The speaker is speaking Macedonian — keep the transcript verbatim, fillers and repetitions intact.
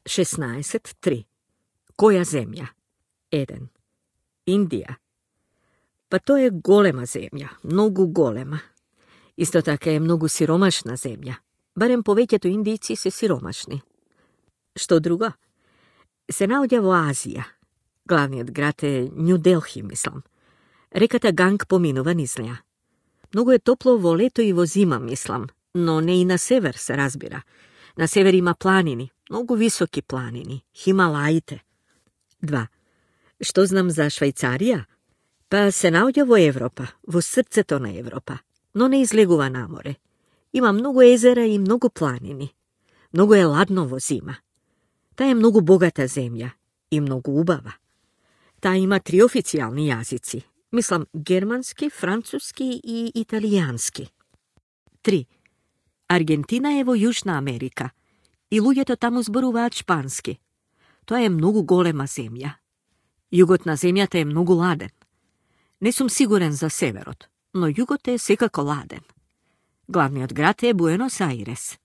šesnaest tri. Koja zemlja? Eden. Indija. Pa to je golema zemlja, mnogo golema. Isto така je mnogo siromašna zemlja. Barem повеќето индијци се сиромашни. Што друго? Се наоѓа во Азија. Главниот град е Нју Делхи, мислам. Реката Ганг поминува низ неа. Многу е топло во лето и во зима, мислам, но не и на север, се разбира. На север има планини, многу високи планини, Хималаите. Два. Што знам за Швајцарија? Па се наоѓа во Европа, во срцето на Европа, но не излегува на море. Има многу езера и многу планини. Многу е ладно во зима. Таа е многу богата земја и многу убава. Таа има три официјални јазици. Мислам, германски, француски и италијански. Три. Аргентина е во Јужна Америка и луѓето таму зборуваат шпански. Тоа е многу голема земја. Југот на земјата е многу ладен. Не сум сигурен за северот, но југот е секако ладен. Главниот град е Буенос Ајрес.